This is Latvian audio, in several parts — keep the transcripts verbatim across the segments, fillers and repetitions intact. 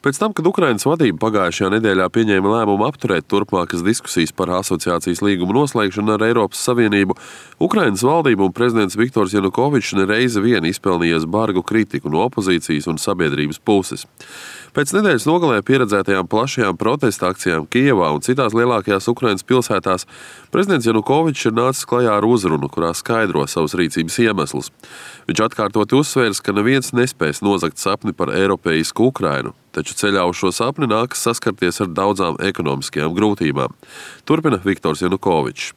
Pēc tam, kad Ukrainas vadība pagājušajā nedēļā pieņēma lēmumu apturēt turpmākas diskusijas par asociācijas līgumu noslēgšanu ar Eiropas Savienību, Ukrainas valdība un prezidents Viktors Janukovičs nereizi vien izpelnījies bargu kritiku no opozīcijas un sabiedrības puses. Pēc nedēļas nogalē pieredzētajām plašajām protesta akcijām Kijevā un citās lielākajās Ukrainas pilsētās prezidents Janukovičs ir nācis klajā ar uzrunu, kurā skaidro savus rīcības iemeslus. Viņš atkārtoti uzsvērs, ka neviens nespēs nozagt sapni par eiropeisku Ukrainu, taču ceļā uz šo sapni nākas saskarties ar daudzām ekonomiskajām grūtībām. Turpina Viktors Janukovičs.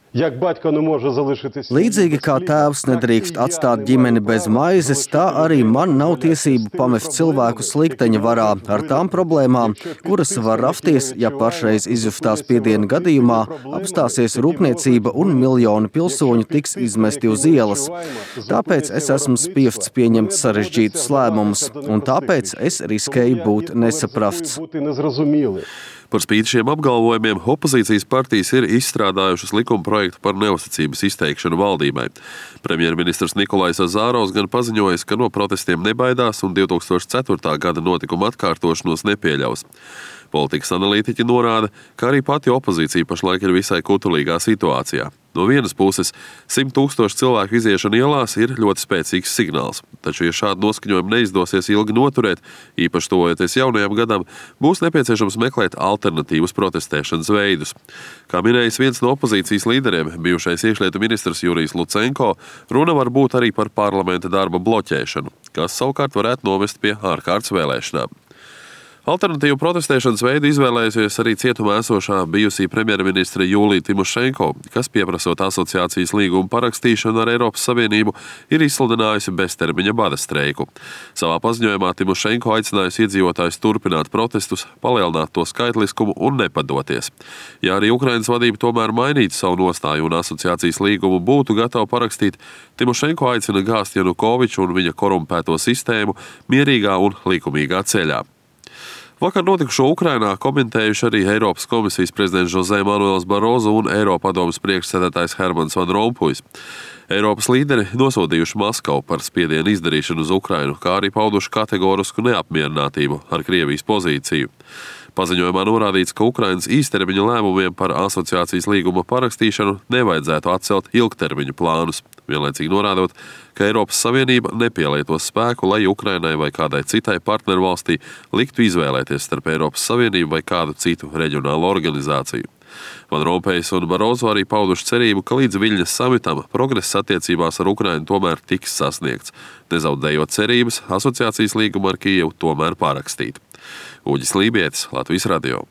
Līdzīgi kā tēvs nedrīkst atstāt ģimeni bez maizes, tā arī man nav tiesību pamest cilvēku slikteņa varā ar tām problēmām, kuras var rasties, ja pašreiz izjustā spiediena gadījumā apstāsies rūpniecība un miljoni pilsoņu tiks izmesti uz ielas. Tāpēc es esmu spiests pieņemt sarežģītus lēmumus, un tāpēc es riskēju būt nesaprasts. Par spīti šiem apgalvojumiem opozīcijas partijas ir izstrādājušas likuma projektu par neusticības izteikšanu valdībai. Premjerministrs Nikolais Azārovs gan paziņojis, ka no protestiem nebaidās un divi tūkstoši ceturtā gada notikuma atkārtošanos nepieļaus. Politikas analītiķi norāda, ka arī pati opozīcija pašlaik ir visai kutulīgā situācijā. No vienas puses, simt tūkstoši cilvēku iziešana ielās ir ļoti spēcīgs signāls, taču, ja šādu noskaņojumu neizdosies ilgi noturēt, īpaši tuvojoties jaunajam gadam, būs nepieciešams meklēt alternatīvas protestēšanas veidus. Kā minējis viens no opozīcijas līderiem, bijušais iekšlietu ministrs Jurijs Lucenko, runa var būt arī par parlamenta darba bloķēšanu, kas savukārt varētu novest pie ārkārtas vēlēšanām. Alternatīvu protestēšanas veidu izvēlējusies arī cietumā esošā bijusī premjerministre Julija Timošenko, kas, pieprasot asociācijas līgumu parakstīšanu ar Eiropas Savienību, ir izsludinājusi beztermiņa bada streiku. Savā paziņojumā Timošenko aicinājusi iedzīvotājus turpināt protestus, palielināt to skaitliskumu un nepadoties. Ja arī Ukrainas vadība tomēr mainītu savu nostāju un asociācijas līgumu būtu gatava parakstīt, Timošenko aicina gāzt Janukoviču un viņa korumpēto sistēmu mierīgā un likumīgā ceļā. Vakar notikušo Ukrainā komentējuši arī Eiropas komisijas prezidents José Manuels Barozo un Eiropadomes priekšsēdētājs Hermans Van Rompujs. Eiropas līderi nosodījuši Maskavu par spiedienu izdarīšanu uz Ukrainu, kā arī pauduši kategorisku neapmierinātību ar Krievijas pozīciju. Paziņojumā norādīts, ka Ukrainas īstermiņa lēmumiem par asociācijas līguma parakstīšanu nevajadzētu atcelt ilgtermiņa plānus, vienlaicīgi norādot, ka Eiropas Savienība nepielietos spēku, lai Ukrainai vai kādai citai partnervalstī liktu izvēlēties starp Eiropas Savienību vai kādu citu reģionālu organizāciju. Van Rompējs un Barozo arī pauduši cerību, ka līdz Viļņas samitam progress attiecībās ar Ukrainu tomēr tiks sasniegts, nezaudējot cerības asociācijas līgumu ar Kijevu tomēr parakstīt. Uģis Lībietis, Latvijas radio.